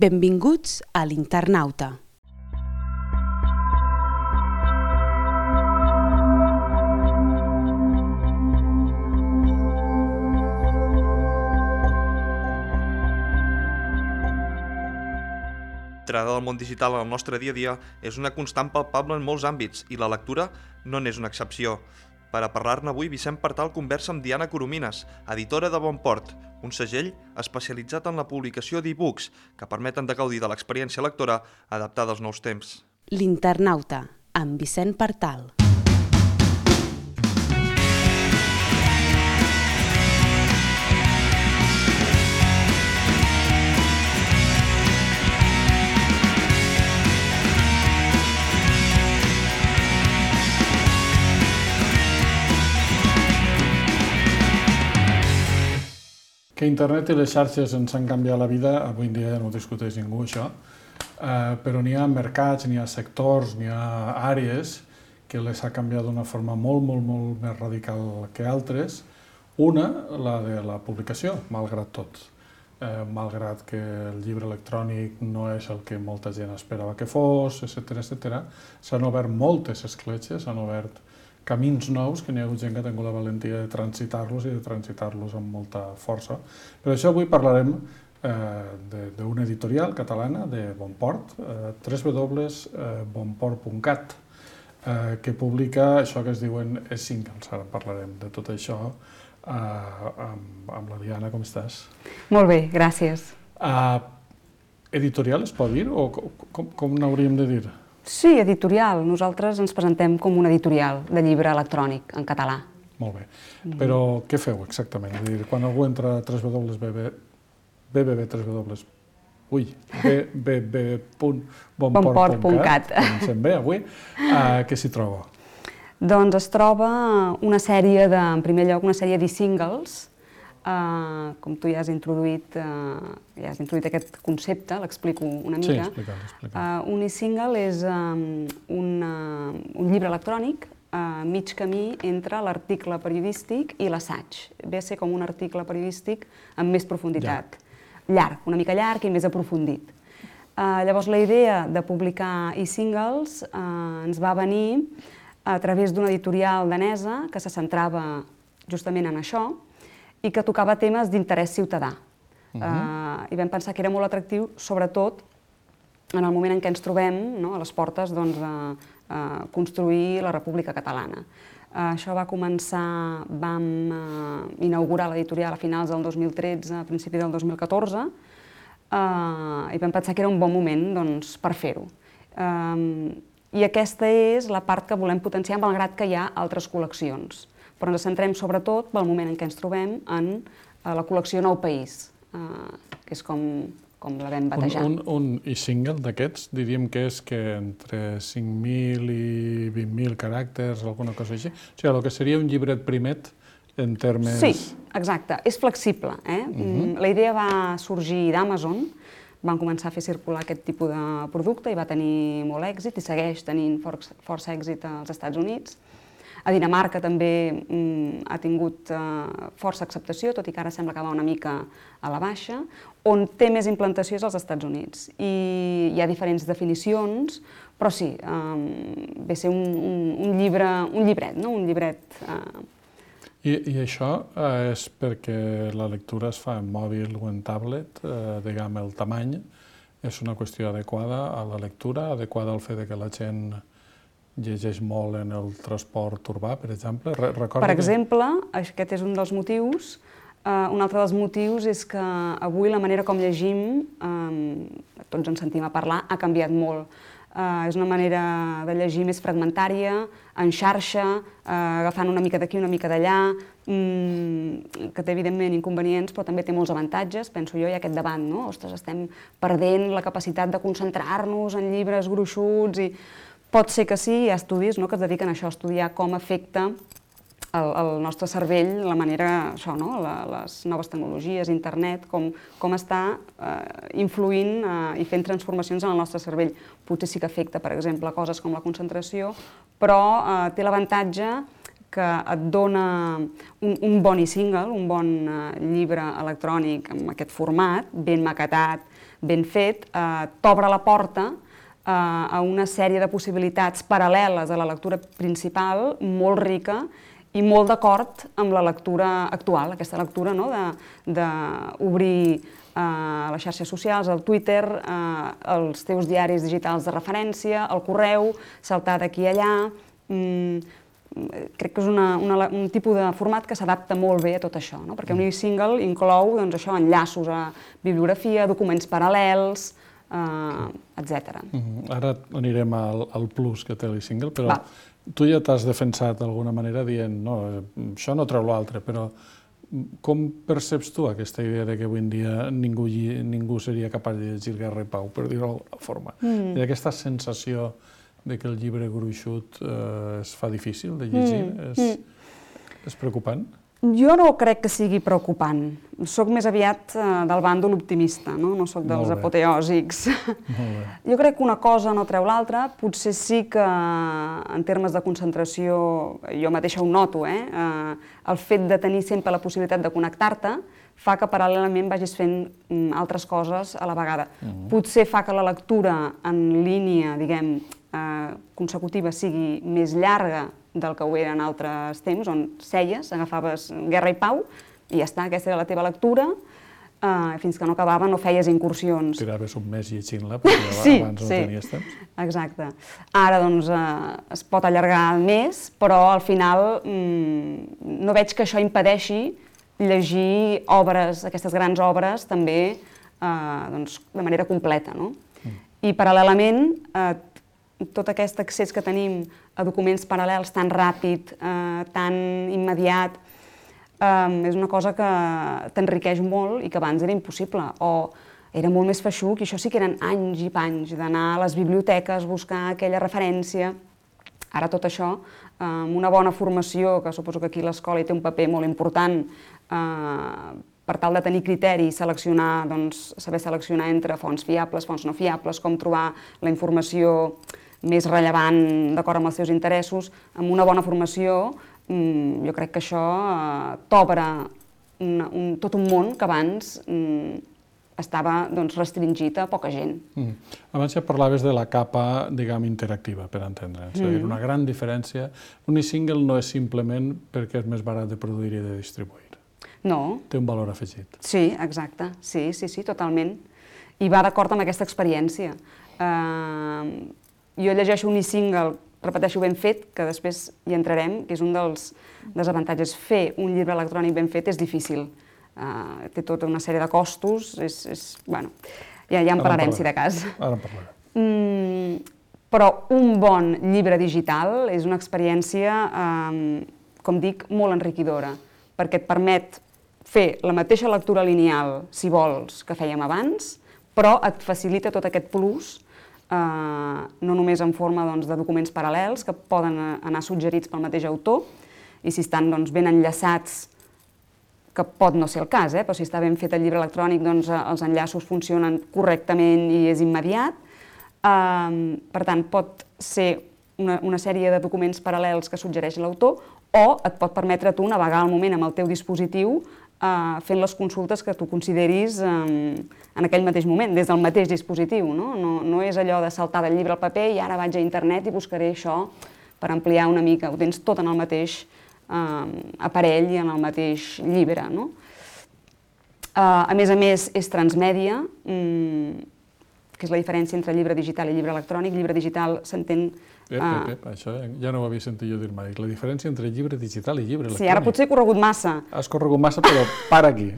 Benvinguts a l'Internauta. L'entrada del món digital en el nostre dia a dia és una constant palpable en molts àmbits i la lectura no n'és una excepció. Per a parlar-ne avui, Vicent Partal conversa amb Diana Coromines, editora de Bonport, un segell especialitzat en la publicació d'e-books que permeten de gaudir de l'experiència lectora adaptada als nous temps. L'Internauta, amb Vicent Partal. Que internet i les xarxes ens han canviat la vida, avui en dia ja no ho discuteix ningú, això, però n'hi ha mercats, n'hi ha sectors, n'hi ha àrees que les ha canviat d'una forma molt més radical que altres. Una, la de la publicació, malgrat tot. Malgrat que el llibre electrònic no és el que molta gent esperava que fos, etc. S'han obert moltes escletxes, s'han obert camins nous, que n'hi ha hagut gent que ha tingut la valentia de transitar-los i de transitar-los amb molta força. Per això avui parlarem d'una editorial catalana, de Bonport, www.bonport.cat, que publica això que es diuen e-singles. Ara parlarem de tot això amb la Diana. Com estàs? Molt bé, gràcies. Editorial es pot dir o com n'hauríem de dir? Sí, editorial. Nosaltres ens presentem com un editorial de llibre electrònic en català. Molt bé. Però què feu exactament? És a dir, quan algú entra a www.bonport.cat, comencem bé avui, què s'hi troba? Doncs es troba una sèrie en primer lloc, una sèrie d'e-singles. Com tu ja has introduït aquest concepte, l'explico una mica. Sí, explica. Un e-single és un llibre electrònic a mig camí entre l'article periodístic i l'assaig. Ve a ser com un article periodístic amb més profunditat. Llarg, una mica llarg i més aprofundit. Llavors la idea de publicar e-singles ens va venir a través d'una editorial danesa que se centrava justament en això i que tocava temes d'interès ciutadà. I vam pensar que era molt atractiu, sobretot en el moment en què ens trobem a les portes de construir la República Catalana. Això va començar, vam inaugurar l'editorial a finals del 2013, a principi del 2014, i vam pensar que era un bon moment per fer-ho. I aquesta és la part que volem potenciar, malgrat que hi ha altres col·leccions. Però ens centrem sobretot pel moment en què ens trobem en la col·lecció Nou País, que és com la vam batejar. Un e-single d'aquests diríem que és entre 5.000 i 20.000 caràcters, alguna cosa així. O sigui, el que seria un llibret primet en termes... Sí, exacte. És flexible. La idea va sorgir d'Amazon, van començar a fer circular aquest tipus de producte i va tenir molt èxit i segueix tenint força èxit als Estats Units. A Dinamarca també ha tingut força acceptació, tot i que ara sembla que va una mica a la baixa. On té més implantació és als Estats Units. I hi ha diferents definicions, però sí, ve a ser un llibret. I això és perquè la lectura es fa en mòbil o en tablet, diguem, el tamany és una qüestió adequada a la lectura, adequada al fet que la gent llegeix molt en el transport urbà, per exemple? Per exemple, aquest és un dels motius. Un altre dels motius és que avui la manera com llegim, tots ens sentim a parlar, ha canviat molt. És una manera de llegir més fragmentària, en xarxa, agafant una mica d'aquí, una mica d'allà, que té evidentment inconvenients, però també té molts avantatges. Penso jo, hi ha aquest debat, no? Ostres, estem perdent la capacitat de concentrar-nos en llibres gruixuts i... Pot ser que sí, hi ha estudis que es dediquen a això, a estudiar com afecta el nostre cervell, la manera, això, les noves tecnologies, internet, com està influint i fent transformacions en el nostre cervell. Potser sí que afecta, per exemple, coses com la concentració, però té l'avantatge que et dona un bon e-single, un bon llibre electrònic amb aquest format, ben maquetat, ben fet, t'obre la porta a una sèrie de possibilitats paral·leles a la lectura principal, molt rica i molt d'acord amb la lectura actual, aquesta lectura d'obrir les xarxes socials, el Twitter, els teus diaris digitals de referència, el correu, saltar d'aquí a allà. Crec que és un tipus de format que s'adapta molt bé a tot això, perquè un e-single inclou enllaços a bibliografia, documents paral·lels, etc. Ara anirem al plus que té l'e-single, però tu ja t'has defensat d'alguna manera dient no, això no treu l'altre, però com perceps tu aquesta idea que avui en dia ningú seria capaç de llegir Guerra i Pau, per dir-ho d'alguna forma? Hi ha aquesta sensació de que el llibre gruixut es fa difícil de llegir? És preocupant? Jo no crec que sigui preocupant. Soc més aviat del bàndol optimista, no soc dels apoteòsics. Jo crec que una cosa no treu l'altra. Potser sí que, en termes de concentració, jo mateixa ho noto, el fet de tenir sempre la possibilitat de connectar-te fa que paral·lelament vagis fent altres coses a la vegada. Potser fa que la lectura en línia, diguem, consecutiva sigui més llarga del que ho era en altres temps, on seies, agafaves Guerra i Pau i ja està, aquesta era la teva lectura, fins que no acabava no feies incursions. Tiraves un mes llegint-la, perquè abans no tenies temps. Exacte. Ara, doncs, es pot allargar més, però al final no veig que això impedeixi llegir obres, aquestes grans obres, també de manera completa. I paral·lelament, tot aquest accés que tenim a documents paral·lels tan ràpid, tan immediat, és una cosa que t'enriqueix molt i que abans era impossible, o era molt més feixuc, i això sí que eren anys i panys d'anar a les biblioteques, buscar aquella referència. Ara tot això, amb una bona formació, que suposo que aquí l'escola hi té un paper molt important, per tal de tenir criteri i seleccionar, saber seleccionar entre fonts fiables, fonts no fiables, com trobar la informació més rellevant d'acord amb els teus interessos, amb una bona formació, jo crec que això t'obre tot un món que abans estava restringit a poca gent. Abans ja parlaves de la capa, diguem, interactiva, per entendre'ns. És a dir, una gran diferència. Un e-single no és simplement perquè és més barat de produir i de distribuir. No. Té un valor afegit. Sí, exacte. Sí, totalment. I va d'acord amb aquesta experiència. Jo llegeixo un e-single, repeteixo, ben fet, que després hi entrarem, que és un dels desavantatges. Fer un llibre electrònic ben fet és difícil. Té tota una sèrie de costos, bueno, ja en parlarem, si de cas. Ara en parlarem. Però un bon llibre digital és una experiència, com dic, molt enriquidora, perquè et permet fer la mateixa lectura lineal, si vols, que fèiem abans, però et facilita tot aquest plus, no només en forma de documents paral·lels que poden anar suggerits pel mateix autor, i si estan ben enllaçats, que pot no ser el cas, però si està ben fet el llibre electrònic, els enllaços funcionen correctament i és immediat. Per tant, pot ser una sèrie de documents paral·lels que suggereix l'autor, o et pot permetre tu navegar al moment amb el teu dispositiu fent les consultes que tu consideris en aquell mateix moment, des del mateix dispositiu. No és allò de saltar del llibre al paper i ara vaig a internet i buscaré això per ampliar una mica. Ho tens tot en el mateix aparell i en el mateix llibre. A més, és transmèdia, que és la diferència entre llibre digital i llibre electrònic. Llibre digital s'entén... Això ja no ho havia sentit jo dir mai. La diferència entre llibre digital i llibre electrònic. Sí, ara potser he corregut massa. Has corregut massa, però para aquí.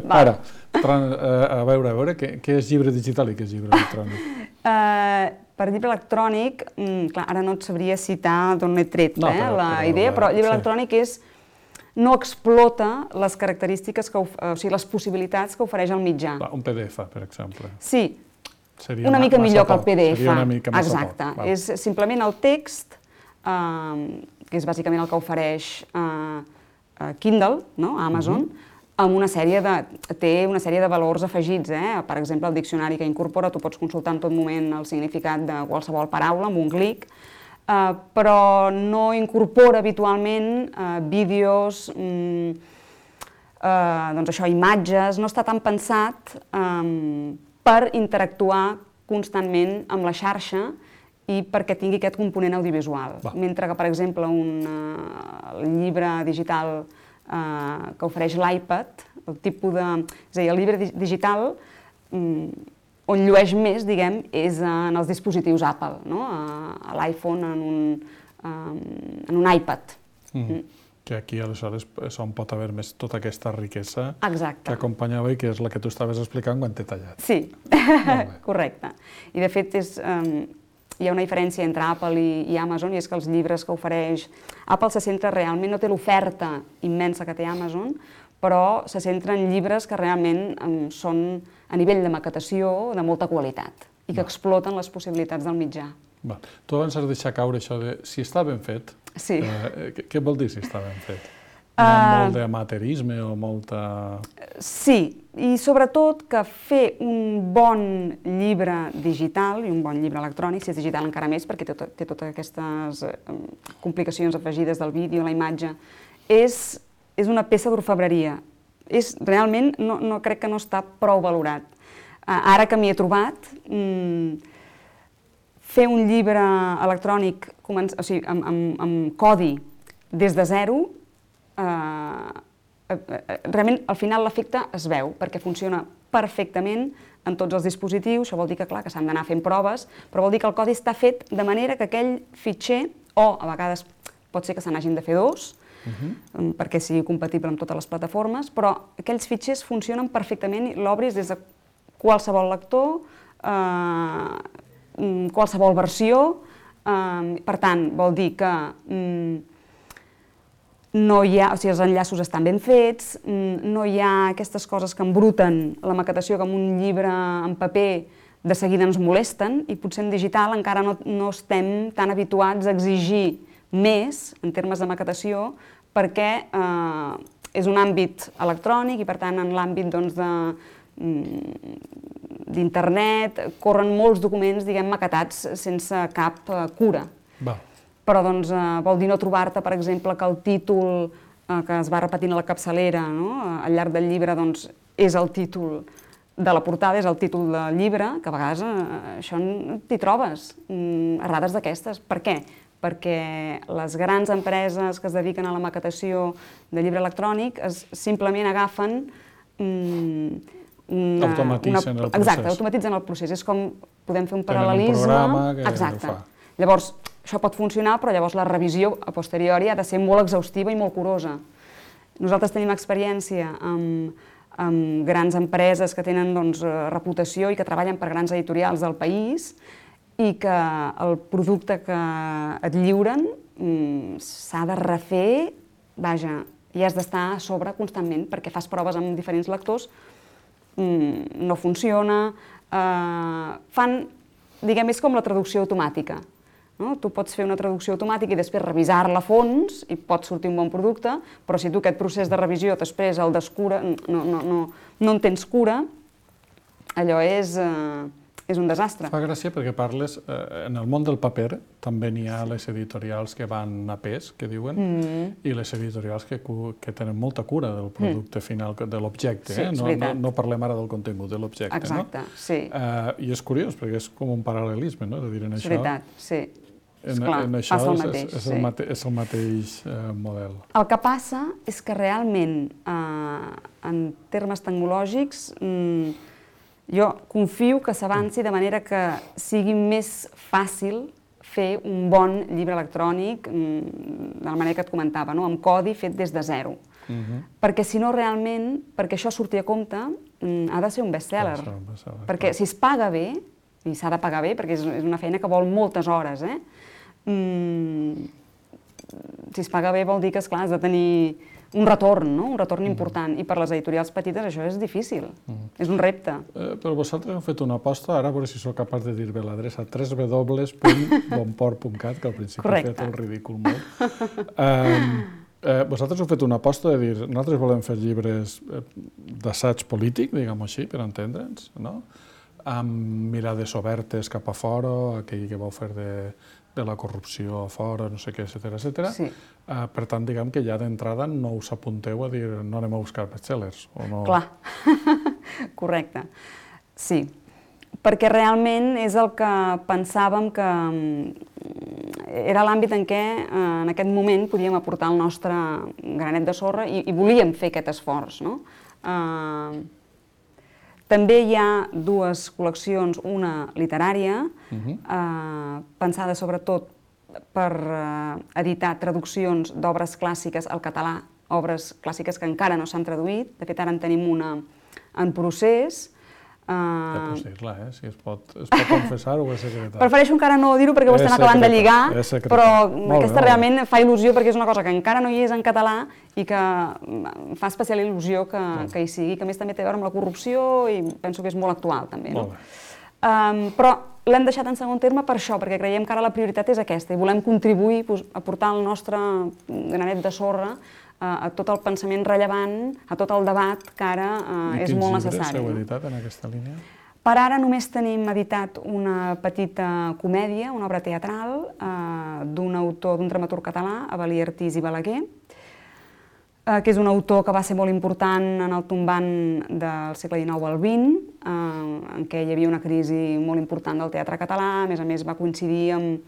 Para. A veure, què és llibre digital i què és llibre electrònic? Per llibre electrònic, clar, ara no et sabria citar d'on he tret la idea, però llibre electrònic no explota les característiques, o sigui, les possibilitats que ofereix el mitjà. Un PDF, per exemple. Sí, una mica millor que el PDF. Seria una mica massa poc. Exacte. És simplement el text, que és bàsicament el que ofereix Kindle, Amazon, amb té una sèrie de valors afegits. Per exemple, el diccionari que incorpora, tu pots consultar en tot moment el significat de qualsevol paraula amb un clic. però no incorpora habitualment vídeos, doncs això, imatges, no està tan pensat per interactuar constantment amb la xarxa i perquè tingui aquest component audiovisual. Mentre que, per exemple, el llibre digital que ofereix l'iPad, el tipus de... És a dir, el llibre digital on llueix més, diguem, és en els dispositius Apple, no? A l'iPhone, en un iPad. Que aquí, aleshores, és on pot haver més tota aquesta riquesa Exacte. que acompanyava i que és la que tu estaves explicant quan t'he tallat. Sí, correcte. I, de fet, hi ha una diferència entre Apple i Amazon, i és que els llibres que ofereix Apple se centra realment, no té l'oferta immensa que té Amazon, però se centra en llibres que realment són a nivell de maquetació de molta qualitat i que exploten les possibilitats del mitjà. Tu abans has deixat caure això de si està ben fet. Sí. Què vol dir si està ben fet? Molt d'amateurisme o molta... Sí, i sobretot que fer un bon llibre digital i un bon llibre electrònic, si és digital encara més, perquè té totes aquestes complicacions afegides del vídeo, la imatge, és una peça d'orfebreria. Realment, crec que no està prou valorat. Ara que m'hi he trobat, fer un llibre electrònic amb codi des de zero, realment al final l'efecte es veu, perquè funciona perfectament en tots els dispositius. Això vol dir que, clar, que s'han d'anar fent proves, però vol dir que el codi està fet de manera que aquell fitxer, o a vegades pot ser que se n'hagin de fer dos, perquè sigui compatible amb totes les plataformes, però aquells fitxers funcionen perfectament i l'obris des de qualsevol lector, qualsevol versió. Per tant, vol dir que no hi ha, o sigui, els enllaços estan ben fets, no hi ha aquestes coses que embruten la maquetació, que amb un llibre en paper de seguida ens molesten, i potser en digital encara no estem tan habituats a exigir més en termes de maquetació, perquè és un àmbit electrònic i, per tant, en l'àmbit d'internet corren molts documents, diguem, maquetats sense cap cura. Però vol dir no trobar-te, per exemple, que el títol que es va repetint a la capçalera al llarg del llibre és el títol de la portada, és el títol del llibre, que a vegades això t'hi trobes, errades d'aquestes. Per què? Perquè les grans empreses que es dediquen a la maquetació de llibre electrònic simplement agafen... Automatitzen el procés. Exacte, automatitzen el procés. És com podem fer un paral·lelisme... Tenen un programa que Exacte. ho fa. Llavors, això pot funcionar, però llavors la revisió a posteriori ha de ser molt exhaustiva i molt curosa. Nosaltres tenim experiència amb grans empreses que tenen reputació i que treballen per grans editorials del país i que el producte que et lliuren s'ha de refer, vaja, i has d'estar a sobre constantment perquè fas proves amb diferents lectors, no funciona, fan, diguem, és com la traducció automàtica. Tu pots fer una traducció automàtica i després revisar-la a fons i pot sortir un bon producte, però si tu aquest procés de revisió després el descura, no en tens cura, allò és un desastre. Fa gràcia perquè parles, en el món del paper també n'hi ha les editorials que van a pes, que diuen, i les editorials que tenen molta cura del producte final, de l'objecte. Sí, és veritat. No parlem ara del contingut, de l'objecte. Exacte, sí. I és curiós perquè és com un paral·lelisme, no?, de dir en això. És veritat, sí. En això és el mateix model. El que passa és que realment, en termes tecnològics, jo confio que s'avanci de manera que sigui més fàcil fer un bon llibre electrònic, de la manera que et comentava, amb codi fet des de zero. Perquè si no realment, perquè això surti a compte, ha de ser un best-seller. Perquè si es paga bé, i s'ha de pagar bé, perquè és una feina que vol moltes hores, si es paga bé vol dir que, esclar, has de tenir un retorn important, i per les editorials petites això és difícil, és un repte. Però vosaltres heu fet una aposta, ara a veure si sóc capaç de dir bé l'adreça, www.bonport.cat, que al principi he fet el ridícul molt. Vosaltres heu fet una aposta de dir, nosaltres volem fer llibres d'assaig polític, diguem-ho així, per entendre'ns, no? amb mirades obertes cap a fora, aquell que vau fer de la corrupció a fora, no sé què, etcètera. Sí. Per tant, diguem que ja d'entrada no us apunteu a dir no anem a buscar bestsellers, o no? Clar, correcte. Sí, perquè realment és el que pensàvem que era l'àmbit en què en aquest moment podíem aportar el nostre granet de sorra i volíem fer aquest esforç, no? També hi ha dues col·leccions, una literària, pensada sobretot per editar traduccions d'obres clàssiques al català, obres clàssiques que encara no s'han traduït. De fet, ara en tenim una en procés. Ja pots dir-la, si es pot confessar o és secretari. Prefereixo encara no dir-ho perquè ho estem acabant de lligar, però aquesta realment fa il·lusió perquè és una cosa que encara no hi és en català i que fa especial il·lusió que hi sigui, que a més també té a veure amb la corrupció i penso que és molt actual també. Però l'hem deixat en segon terme per això, perquè creiem que ara la prioritat és aquesta i volem contribuir a portar el nostre granet de sorra a tot el pensament rellevant, a tot el debat que ara és molt necessari. I quins llibres heu editat en aquesta línia? Per ara només tenim editat una petita comèdia, una obra teatral, d'un autor, d'un dramaturg català, Avelí Artís i Balaguer, que és un autor que va ser molt important en el tombant del segle XIX al XX, en què hi havia una crisi molt important del teatre català, a més va coincidir amb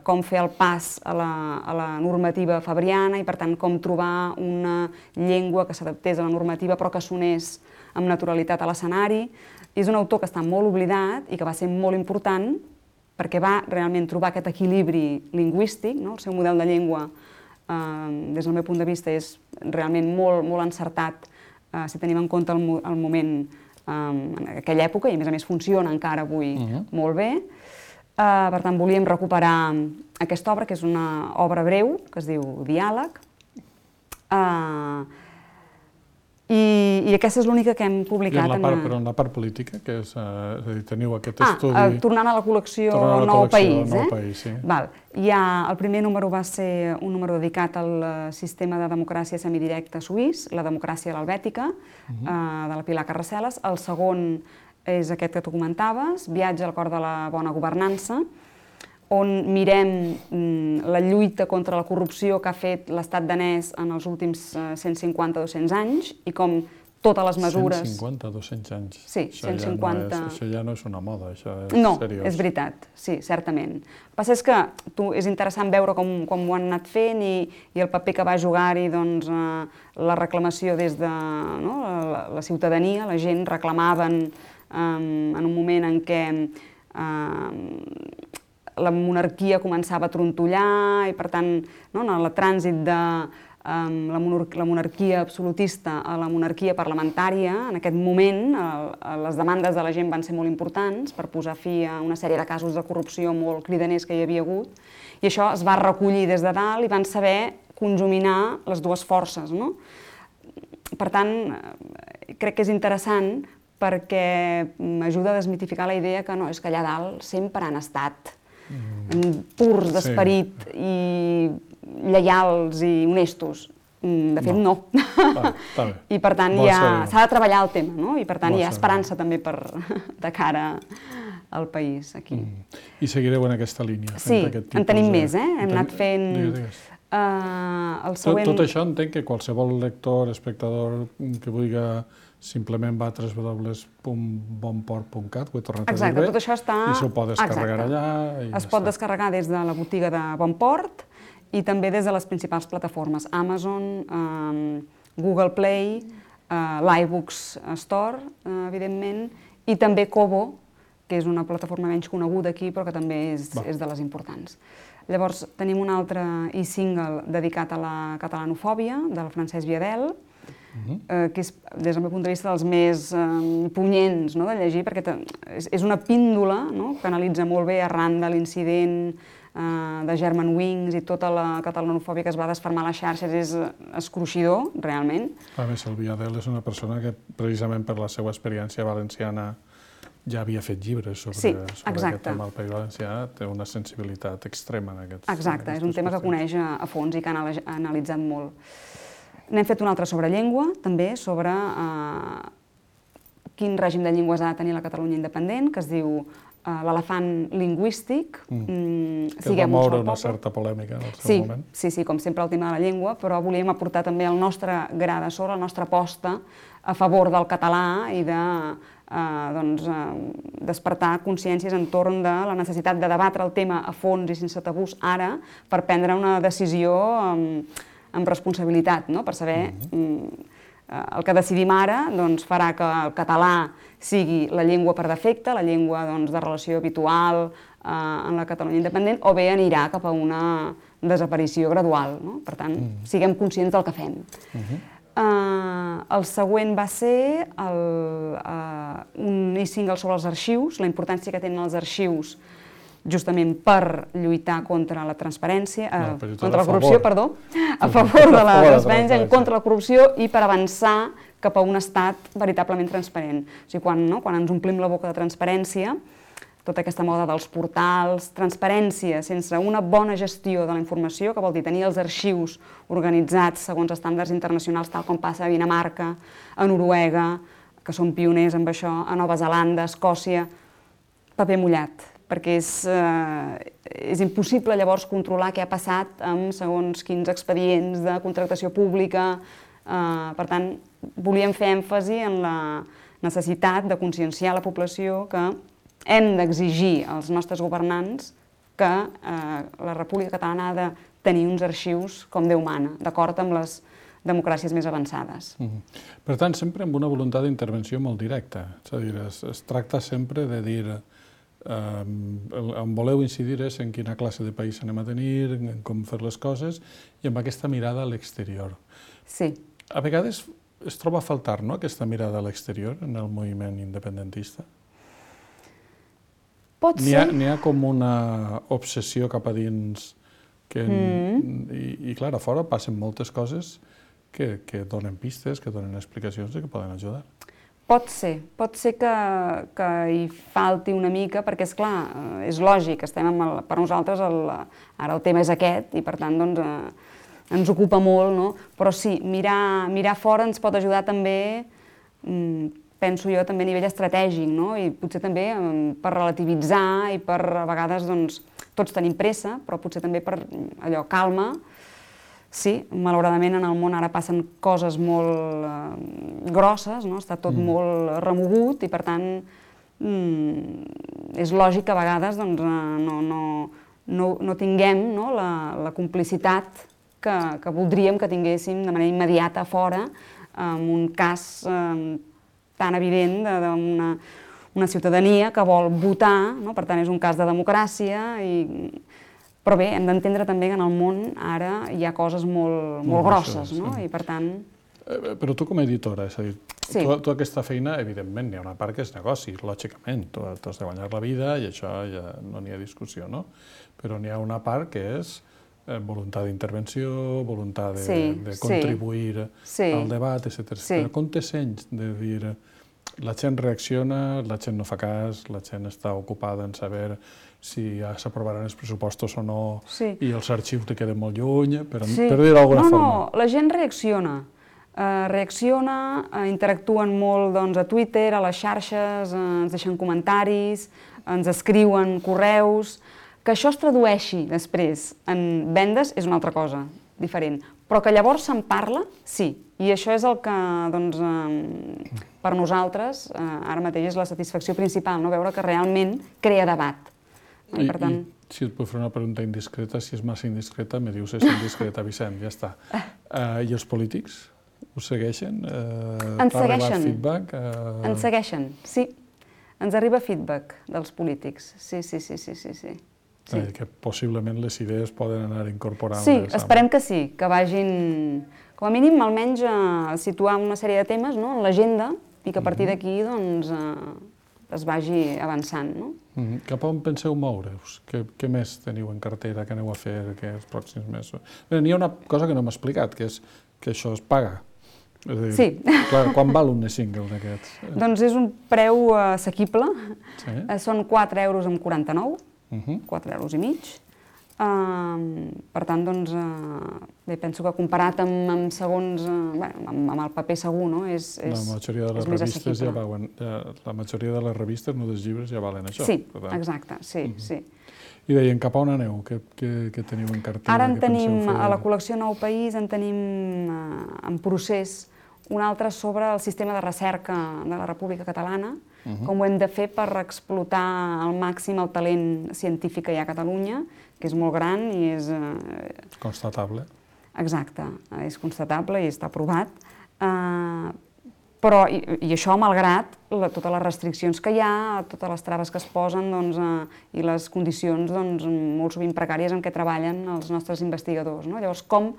com fer el pas a la normativa fabriana i, per tant, com trobar una llengua que s'adaptés a la normativa però que sonés amb naturalitat a l'escenari. És un autor que està molt oblidat i que va ser molt important perquè va realment trobar aquest equilibri lingüístic, no? El seu model de llengua, des del meu punt de vista, és realment molt encertat si tenim en compte el moment en aquella època i, a més, funciona encara avui molt bé. Per tant, volíem recuperar aquesta obra, que és una obra breu, que es diu Diàleg, i aquesta és l'única que hem publicat. Però en la part política, que és a dir, teniu aquest estudi... Tornant a la col·lecció Nou País. Sí. El primer número va ser un número dedicat al sistema de democràcia semidirecta suís, la democràcia a l'helvètica, de la Pilar Carraceles. El segon és aquest que tu comentaves, Viatge al cor de la bona governança, on mirem la lluita contra la corrupció que ha fet l'estat danès en els últims 150-200 anys i com totes les mesures... 150-200 anys? Sí, 150... Això ja no és una moda, això és seriós. No, és veritat, sí, certament. El que passa és que és interessant veure com ho han anat fent i el paper que va jugar-hi la reclamació des de la ciutadania, la gent reclamaven en un moment en què la monarquia començava a trontollar i, per tant, en el trànsit de la monarquia absolutista a la monarquia parlamentària, en aquest moment les demandes de la gent van ser molt importants per posar fi a una sèrie de casos de corrupció molt cridaners que hi havia hagut i això es va recollir des de dalt i van saber conjuminar les dues forces. Per tant, crec que és interessant perquè m'ajuda a desmitificar la idea que no, és que allà dalt sempre han estat purs d'esperit i lleials i honestos. De fet, no. I per tant s'ha de treballar el tema, i per tant hi ha esperança també de cara al país aquí. I seguireu en aquesta línia? Sí, en tenim més, hem anat fent... Tot això entenc que qualsevol lector, espectador que vulgui simplement va a www.bonport.cat, ho he tornat a dir bé, i s'ho pot descarregar allà. Es pot descarregar des de la botiga de Bonport i també des de les principals plataformes, Amazon, Google Play, l'iBooks Store, evidentment, i també Kobo, que és una plataforma menys coneguda aquí, però que també és de les importants. Llavors, tenim un altre e-single dedicat a la catalanofòbia, del Francesc Viadel, que és, des del meu punt de vista, dels més punyents de llegir, perquè és una píndola que analitza molt bé arran de l'incident de Germanwings i tota la catalanofòbia que es va desfermar a les xarxes. És escruixidor, realment. A més, el Viadel és una persona que, precisament per la seva experiència valenciana, ja havia fet llibres sobre aquest tema al País Valencià, té una sensibilitat extrema en aquests qüestions. Exacte, és un tema que coneix a fons i que ha analitzat molt. N'hem fet un altre sobre llengua, també, sobre quin règim de llengües ha de tenir la Catalunya independent, que es diu l'elefant lingüístic. Que va moure una certa polèmica en el seu moment. Sí, com sempre el tema de la llengua, però volíem aportar també el nostre gra de sorra, la nostra aposta a favor del català i de despertar consciències entorn de la necessitat de debatre el tema a fons i sense tabús ara per prendre una decisió amb responsabilitat, per saber el que decidim ara farà que el català sigui la llengua per defecte, la llengua de relació habitual en la Catalunya independent, o bé anirà cap a una desaparició gradual. Per tant, siguem conscients del que fem. El següent va ser un e-single sobre els arxius, la importància que tenen els arxius justament per lluitar contra la transparència, contra la corrupció, perdó, a favor de la transparència, en contra la corrupció i per avançar cap a un estat veritablement transparent. O sigui, quan ens omplim la boca de transparència, tota aquesta moda dels portals, transparència sense una bona gestió de la informació, que vol dir tenir els arxius organitzats segons estàndards internacionals, tal com passa a Dinamarca, a Noruega, que són pioners amb això, a Nova Zelanda, a Escòcia, paper mullat, perquè és impossible llavors controlar què ha passat amb segons quins expedients de contractació pública. Per tant, volíem fer èmfasi en la necessitat de conscienciar la població que hem d'exigir als nostres governants que la República Catalana ha de tenir uns arxius com Déu mana, d'acord amb les democràcies més avançades. Per tant, sempre amb una voluntat d'intervenció molt directa. És a dir, es tracta sempre de dir on voleu incidir és en quina classe de país anem a tenir, en com fer les coses i amb aquesta mirada a l'exterior. Sí. A vegades es troba a faltar, no?, aquesta mirada a l'exterior en el moviment independentista? Pot ser. N'hi ha com una obsessió cap a dins i clar, a fora passen moltes coses que donen pistes, que donen explicacions i que poden ajudar. Pot ser que hi falti una mica, perquè, esclar, és lògic, per nosaltres ara el tema és aquest i, per tant, ens ocupa molt, però sí, mirar fora ens pot ajudar també, penso jo, també a nivell estratègic, i potser també per relativitzar i per, a vegades, tots tenim pressa, però potser també per allò, calma. Sí, malauradament en el món ara passen coses molt grosses, està tot molt remogut i per tant és lògic que a vegades no tinguem la complicitat que voldríem que tinguéssim de manera immediata a fora en un cas tan evident d'una ciutadania que vol votar, per tant és un cas de democràcia però bé, hem d'entendre també que en el món ara hi ha coses molt grosses, i per tant... Però tu com a editora, és a dir, tu aquesta feina, evidentment, n'hi ha una part que és negoci, lògicament, tu has de guanyar la vida i això ja no n'hi ha discussió, no? Però n'hi ha una part que és voluntat d'intervenció, voluntat de contribuir al debat, etc. Però com te sents de dir la gent reacciona, la gent no fa cas, la gent està ocupada en saber si s'aprovaran els pressupostos o no i els arxius li queden molt lluny, per dir-ho d'alguna forma. No, la gent reacciona. Interactuen molt a Twitter, a les xarxes, ens deixen comentaris, ens escriuen correus. Que això es tradueixi després en vendes és una altra cosa, diferent. Però que llavors se'n parla, sí. I això és el que, per nosaltres, ara mateix és la satisfacció principal, veure que realment crea debat. I si et puc fer una pregunta indiscreta, si és massa indiscreta, me dius és indiscreta, Vicent, ja està. I els polítics? Us segueixen? Ens segueixen. Ens segueixen, sí. Ens arriba feedback dels polítics, sí. Que possiblement les idees poden anar incorporant. Sí, esperem que sí, que vagin, com a mínim, almenys situar una sèrie de temes en l'agenda i que a partir d'aquí es vagi avançant. Cap a on penseu moure-us? Què més teniu en cartera, què aneu a fer els pròxims mesos? N'hi ha una cosa que no m'ha explicat, que és que això es paga. Sí. Quan val un single d'aquests? Doncs és un preu assequible, són 4,49 €, 4,5 €, Per tant, doncs, bé, penso que comparat amb segons, amb el paper segur, no? La majoria de les revistes ja valen, la majoria de les revistes, no dels llibres, ja valen això. Sí, exacte, sí, sí. I deien, cap a on aneu? Què teniu en cartera? Ara en tenim, a la col·lecció Nou País, en tenim en procés un altre sobre el sistema de recerca de la República Catalana, com ho hem de fer per explotar al màxim el talent científic que hi ha a Catalunya, que és molt gran i és... Constatable. Exacte, és constatable i està aprovat. Però, i això malgrat totes les restriccions que hi ha, totes les traves que es posen i les condicions molt sovint precàries en què treballen els nostres investigadors. Llavors, com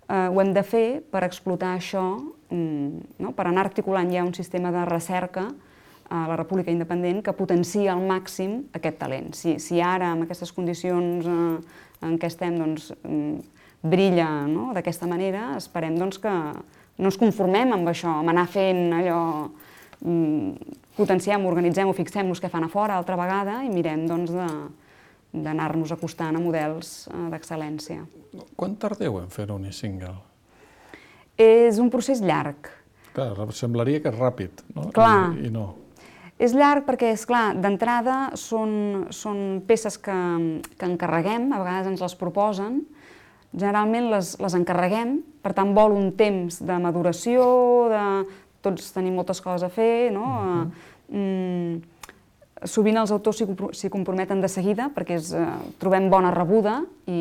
ho hem de fer per explotar això, per anar articulant ja un sistema de recerca a la República Independent que potencia al màxim aquest talent. Si ara, amb aquestes condicions en què estem, brilla d'aquesta manera, esperem que no ens conformem amb això, amb anar fent allò, potenciem, organitzem o fixem-nos què fan a fora altra vegada i mirem d'anar-nos acostant a models d'excel·lència. Quan tardeu en fer un e-single? És un procés llarg. Clar, semblaria que és ràpid, no? Clar. I no. És llarg perquè, esclar, d'entrada són peces que encarreguem, a vegades ens les proposen, generalment les encarreguem, per tant vol un temps de maduració, tots tenim moltes coses a fer, no? Sovint els autors s'hi comprometen de seguida perquè trobem bona rebuda i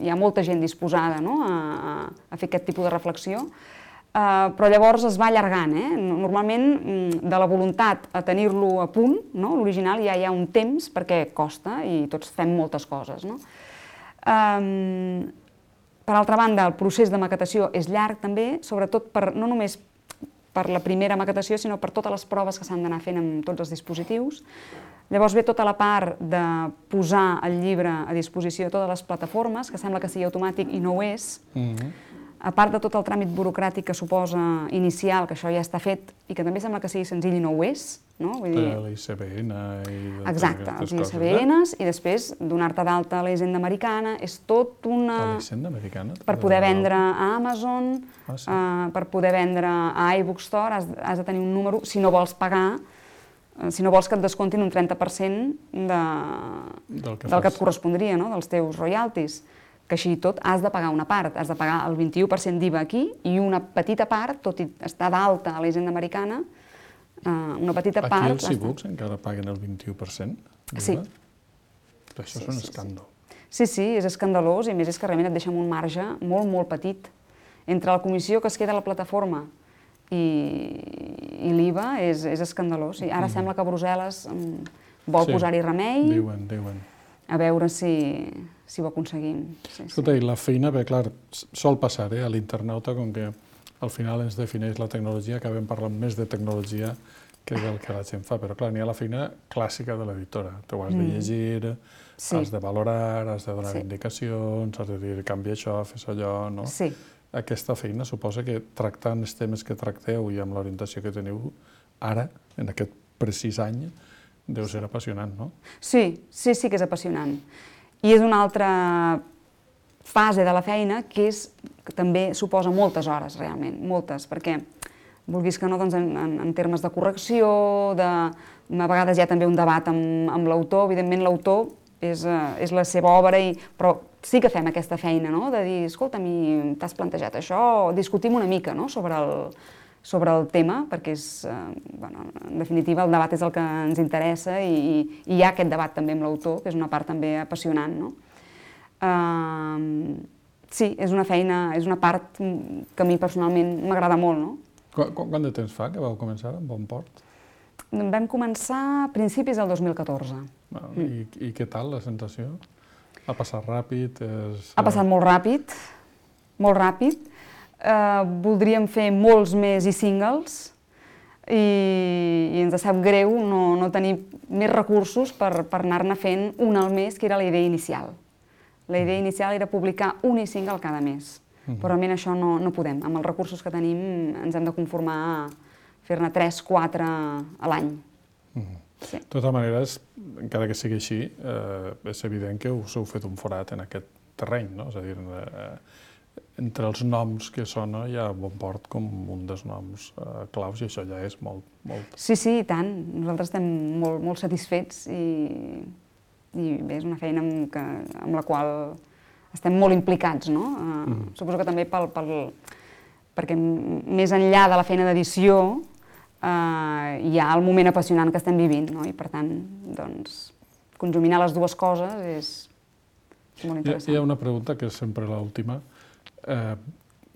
hi ha molta gent disposada a fer aquest tipus de reflexió, però llavors es va allargant. Normalment, de la voluntat a tenir-lo a punt, l'original ja hi ha un temps perquè costa i tots fem moltes coses. Per altra banda, el procés de maquetació és llarg també, sobretot no només per la primera maquetació, sinó per totes les proves que s'han d'anar fent amb tots els dispositius. Llavors ve tota la part de posar el llibre a disposició de totes les plataformes, que sembla que sigui automàtic i no ho és. A part de tot el tràmit burocràtic que suposa inicial, que això ja està fet, i que també sembla que sigui senzill i no ho és. L'ICBN i... Exacte, els ICBNs, i després donar-te d'alta a la Hisenda Americana, és tot una... A la Hisenda Americana? Per poder vendre a Amazon, per poder vendre a iBookstore, has de tenir un número, si no vols pagar, si no vols que et descomptin un 30% del que et correspondria, dels teus royalties. Que així i tot has de pagar una part, has de pagar el 21% d'IVA aquí i una petita part, tot i estar d'alta a la Hisenda Americana, una petita part... Aquí els e-books encara paguen el 21%? Sí. Això és un escàndol. Sí, és escandalós i a més és que realment et deixa un marge molt, molt petit. Entre la comissió que es queda a la plataforma i l'IVA és escandalós. Ara sembla que Brussel·les vol posar-hi remei. Diuen. A veure si ho aconseguim. Escolta, i la feina, bé, clar, sol passar a l'internauta, com que al final ens defineix la tecnologia, acabem parlant més de tecnologia que del que la gent fa, però clar, n'hi ha la feina clàssica de l'editora. Tu has de llegir, has de valorar, has de donar indicacions, has de dir, canvia això, fes allò, no? Sí. Aquesta feina suposa que tractant els temes que tracteu i amb l'orientació que teniu ara, en aquest precís any, deu ser apassionant, no? Sí que és apassionant. I és una altra fase de la feina que també suposa moltes hores, realment, moltes, perquè vulguis que no, en termes de correcció, a vegades hi ha també un debat amb l'autor, evidentment l'autor és la seva obra, però sí que fem aquesta feina, de dir, escolta, t'has plantejat això, discutim una mica sobre el tema, perquè en definitiva el debat és el que ens interessa i hi ha aquest debat també amb l'autor, que és una part també apassionant. Sí, és una feina, és una part que a mi personalment m'agrada molt. Quant de temps fa que vau començar amb Bonport? Vam començar a principis del 2014. I què tal la sensació? Ha passat ràpid? Ha passat molt ràpid, molt ràpid. Voldríem fer molts més e-singles i ens sap greu no tenir més recursos per anar-ne fent un al mes, que era la idea inicial. La idea inicial era publicar un e-single cada mes, però realment això no podem. Amb els recursos que tenim ens hem de conformar a fer-ne 3-4 a l'any. De totes maneres, encara que sigui així, és evident que us heu fet un forat en aquest terreny, no? És a dir, entre els noms que sona hi ha Bonport com un dels noms claus i això ja és molt. Sí, i tant. Nosaltres estem molt satisfets i bé, és una feina amb la qual estem molt implicats, no? Suposo que també perquè més enllà de la feina d'edició hi ha el moment apassionant que estem vivint, no? I per tant, doncs, conjuminar les dues coses és molt interessant. Hi ha una pregunta que és sempre l'última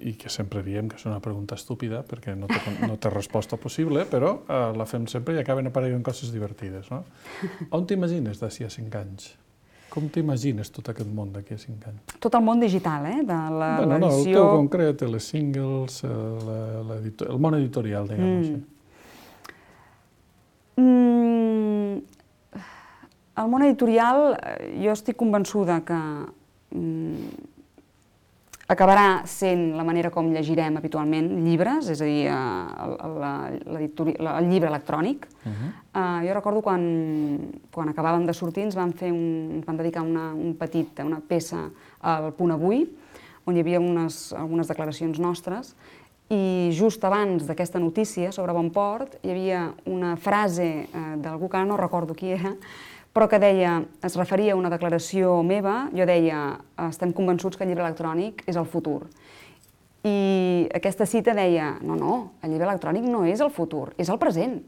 i que sempre diem que és una pregunta estúpida perquè no té resposta possible, però la fem sempre i acaben apareixent coses divertides, no? On t'imagines d'ací a 5 anys? Com t'imagines tot aquest món d'aquí a 5 anys? Tot el món digital, de l'edició... No, el teu concret, les singles, el món editorial, diguem-ho així. El món editorial, jo estic convençuda que acabarà sent la manera com llegirem habitualment llibres, és a dir, el llibre electrònic. Jo recordo quan acabàvem de sortir ens van dedicar una peça al Punt Avui, on hi havia algunes declaracions nostres, i just abans d'aquesta notícia sobre Bonport hi havia una frase d'algú que ara no recordo qui era, però que es referia a una declaració meva. Jo deia, estem convençuts que el llibre electrònic és el futur. I aquesta cita deia, no, el llibre electrònic no és el futur, és el present.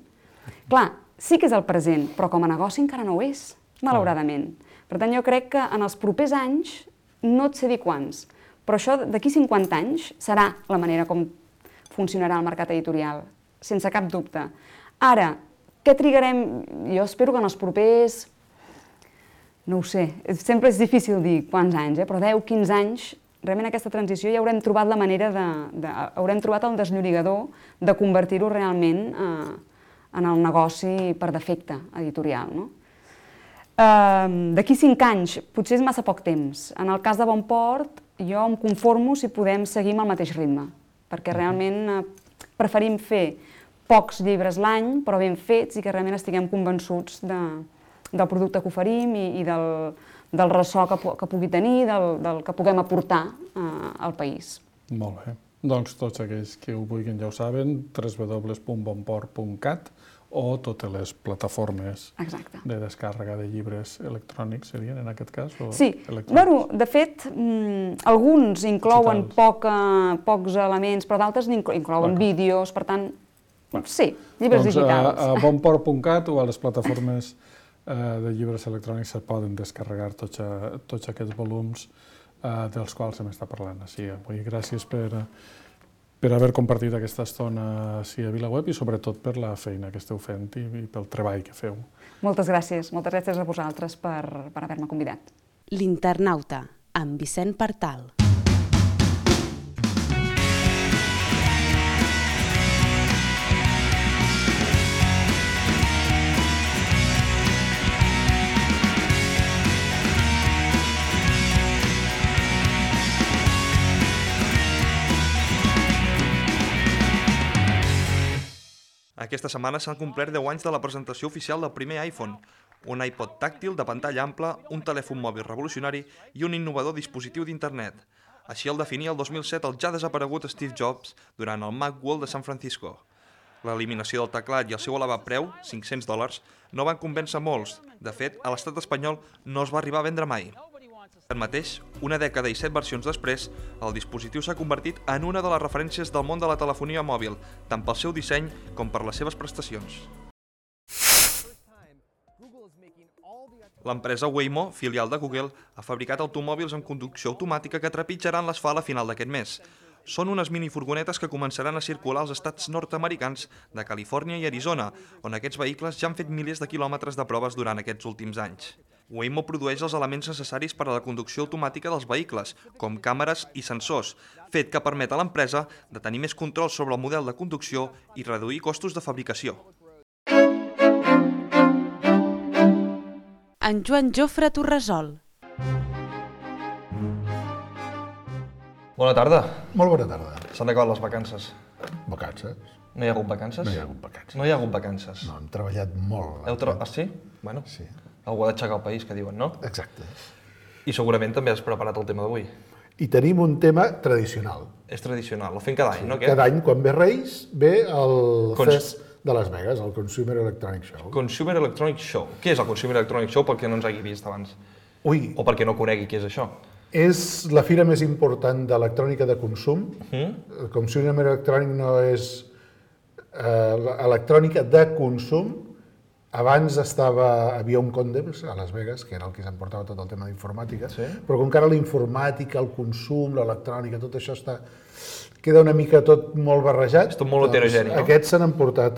Clar, sí que és el present, però com a negoci encara no ho és, malauradament. Per tant, jo crec que en els propers anys, no et sé dir quants, però això d'aquí 50 anys serà la manera com funcionarà el mercat editorial, sense cap dubte. Ara, què trigarem? Jo espero que en els propers... No ho sé, sempre és difícil dir quants anys, però 10-15 anys, realment aquesta transició ja haurem trobat la manera haurem trobat el desllorigador de convertir-ho realment en el negoci per defecte editorial, no? D'aquí 5 anys, potser és massa poc temps. En el cas de Bonport, jo em conformo si podem seguir amb el mateix ritme, perquè realment preferim fer pocs llibres l'any, però ben fets i que realment estiguem convençuts del producte que oferim i del ressò que pugui tenir, del que puguem aportar al país. Molt bé. Doncs tots aquells que ho vulguin ja ho saben, www.bonport.cat o totes les plataformes de descàrrega de llibres electrònics serien en aquest cas? Sí, de fet, alguns inclouen pocs elements, però d'altres inclouen vídeos, per tant, sí, llibres digitals. A bonport.cat o a les plataformes de llibres electrònics se poden descarregar tots aquests volums dels quals hem estat parlant. Avui gràcies per haver compartit aquesta estona a VilaWeb i sobretot per la feina que esteu fent i pel treball que feu. Moltes gràcies a vosaltres per haver-me convidat. L'Internauta, amb Vicent Partal. Aquesta setmana s'han complert 10 anys de la presentació oficial del primer iPhone, un iPod tàctil de pantalla ampla, un telèfon mòbil revolucionari i un innovador dispositiu d'internet. Així el definia el 2007 el ja desaparegut Steve Jobs durant el Macworld de San Francisco. L'eliminació del teclat i el seu elevat preu, $500, no van convèncer molts. De fet, a l'estat espanyol no es va arribar a vendre mai. Tanmateix, una dècada i 7 versions després, el dispositiu s'ha convertit en una de les referències del món de la telefonia mòbil, tant pel seu disseny com per les seves prestacions. L'empresa Waymo, filial de Google, ha fabricat automòbils amb conducció automàtica que trepitjaran l'asfalt a final d'aquest mes. Són unes minifurgonetes que començaran a circular als estats nord-americans de Califòrnia i Arizona, on aquests vehicles ja han fet milers de quilòmetres de proves durant aquests últims anys. Waymo produeix els elements necessaris per a la conducció automàtica dels vehicles, com càmeres i sensors, fet que permet a l'empresa de tenir més control sobre el model de conducció i reduir costos de fabricació. En Joan Jofre Torresol. Bona tarda. Molt bona tarda. S'han acabat les vacances. Vacances? No hi ha hagut vacances? No hi ha hagut vacances. No hi ha hagut vacances. No, hem treballat molt. Sí? Bueno. Sí. Algú ha d'aixecar el país, que diuen, no? Exacte. I segurament també has preparat el tema d'avui. I tenim un tema tradicional. És tradicional, el fem cada any, no? Cada any, quan ve Reis, ve el Cons- FES de Las Vegas, el Consumer Electronic Show. Consumer Electronic Show. Què és el Consumer Electronic Show pel que no ens hagi vist abans? Ui, O perquè no conegui què és això? és la fira més important d'electrònica de consum. El Consumer Electronic no és electrònica de consum. Abans havia un Condems a Las Vegas, que era el que s'emportava tot el tema d'informàtica, Sí. però com que ara la informàtica, el consum, l'electrònica, tot això queda una mica tot molt barrejat. És tot molt heterogeni, no? Aquests s'han emportat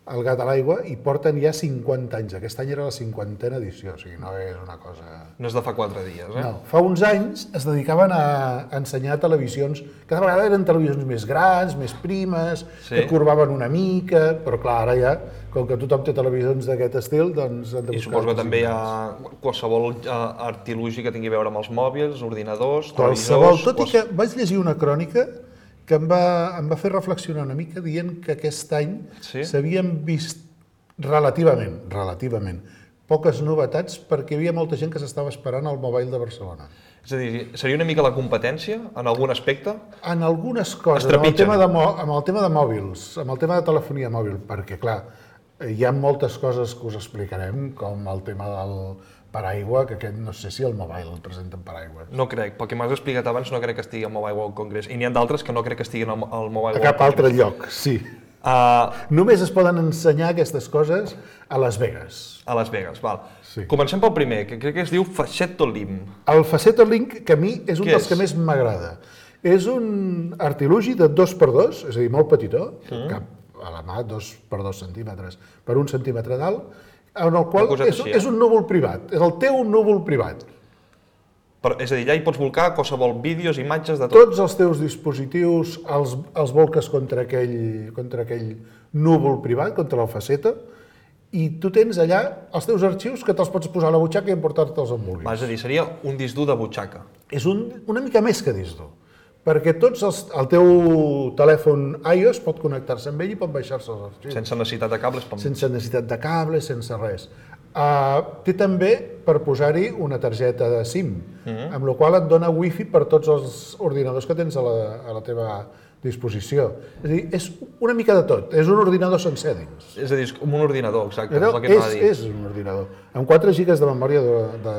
el gat a l'aigua i porten ja 50 anys. Aquest any era la 50a edició, o sigui, no és una cosa... No és de fa 4 dies, eh? No, fa uns anys es dedicaven a ensenyar televisions, cada vegada eren televisions més grans, més primes, Sí. que corbaven una mica, però clar, ara ja, com que tothom té televisions d'aquest estil, doncs han de I buscar... suposo que també hi coses ha qualsevol artilugi que tingui a veure amb els mòbils, ordinadors, grans. Qualsevol, televisors... tot i que vaig llegir una crònica que em va fer reflexionar una mica dient que aquest any Sí? s'havien vist relativament poques novetats perquè hi havia molta gent que s'estava esperant al Mobile de Barcelona. És a dir, seria una mica la competència en algun aspecte? En algunes coses, Es trepitgen. amb el tema de mòbils, amb el tema de telefonia mòbil, perquè clar, hi ha moltes coses que us explicarem, com el tema del paraigua, que aquest no sé si el Mobile el presenten paraigua. No crec, pel que m'has explicat abans no crec que estigui al Mobile World Congress, i n'hi ha d'altres que no crec que estiguin al Mobile A World cap Congress. altre lloc, sí. Només es poden ensenyar aquestes coses a Las Vegas. A Las Vegas, val. Sí. Comencem pel primer, que crec que es diu Facetto Lim. El Facetto Link, que a mi és un Què dels és? que més m'agrada. És un artilugi de 2x2, és a dir, molt petitó, cap a la mà, 2x2 centímetres per 1 centímetre d'alt, en el qual coseta així, és un núvol privat, és el teu núvol privat. Però, és a dir, allà hi pots volcar qualsevol vídeos, imatges, de tot. Tots els teus dispositius els volques contra aquell núvol privat, contra el Facetto, i tu tens allà els teus arxius que te'ls pots posar a la butxaca i emportar-te'ls on vulguis. És a dir, seria un disc dur de butxaca. És una mica més que disc dur, perquè el teu telèfon iOS pot connectar-se amb ell i pot baixar-se els arxius. Sense necessitat de cables. Sense necessitat de cables, sense res. Té també per posar-hi una targeta de SIM, amb la qual et dona wifi per tots els ordinadors que tens a la teva disposició. És a dir, és una mica de tot, és un ordinador sencer dins. És a dir, és com un ordinador, exacte, és el que anava a dir. És un ordinador, amb 4 gigas de memòria de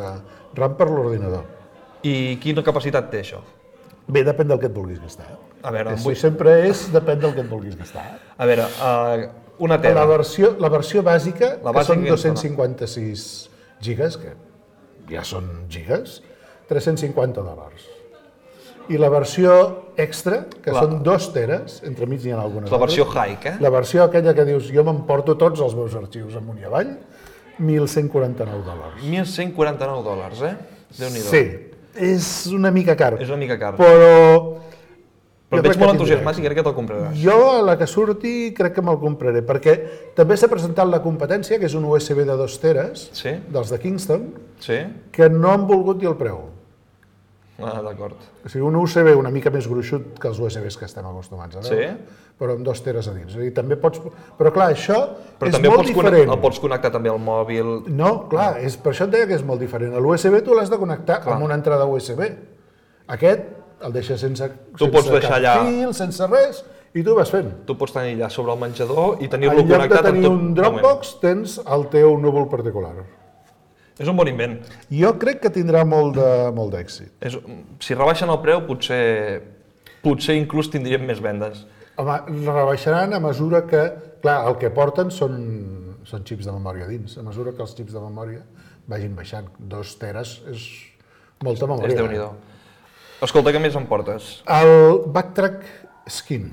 RAM per l'ordinador. I quina capacitat té això? Bé, depèn del que et vulguis gastar. A veure, Això sempre depèn del que et vulguis gastar. a veure, una tela. La versió bàsica, La que bàsica són que ens dona. 256 gigas, que ja són gigas, $350. I la versió extra, que són 2 teres, entremig n'hi ha algunes. És la versió altres. high, eh? La versió aquella que dius, jo m'emporto tots els meus arxius amunt i avall, $1.149. $1.149, eh? Déu-n'hi-do. Sí, és una mica car. És una mica car. Però Però jo et veig crec que molt tindrà entusiasmat i crec que te'l compraràs. Jo, a la que surti, crec que me'l compraré, perquè també s'ha presentat la competència, que és un USB de 2 teres, Sí? dels de Kingston, Sí? que no han volgut dir el preu. D'acord. O sigui, un USB una mica més gruixut que els USBs que estem acostumats a veure, Sí? però amb 2 teres a dins. És a dir, també pots... Però clar, això Però és també molt diferent. el pots connectar també al mòbil. No, clar, per això et deia que és molt diferent. L'USB tu l'has de connectar amb una entrada USB. Aquest el deixes sense pots deixar cap allà. fil, sense res, i tu vas fent. Tu pots tenir allà sobre el menjador i En tenir-lo lloc de connectat en tenir tot un moment. Dropbox, tens el teu núvol particular. És un bon invent. Jo crec que tindrà molt d'èxit. Si rebaixen el preu, potser inclús tindríem més vendes. Home, rebaixaran a mesura que... Clar, el que porten són xips de memòria dins. A mesura que els xips de memòria vagin baixant. 2 teres és molta memòria. És Déu-n'hi-do. Escolta, què més em portes? El Backtrack Skin.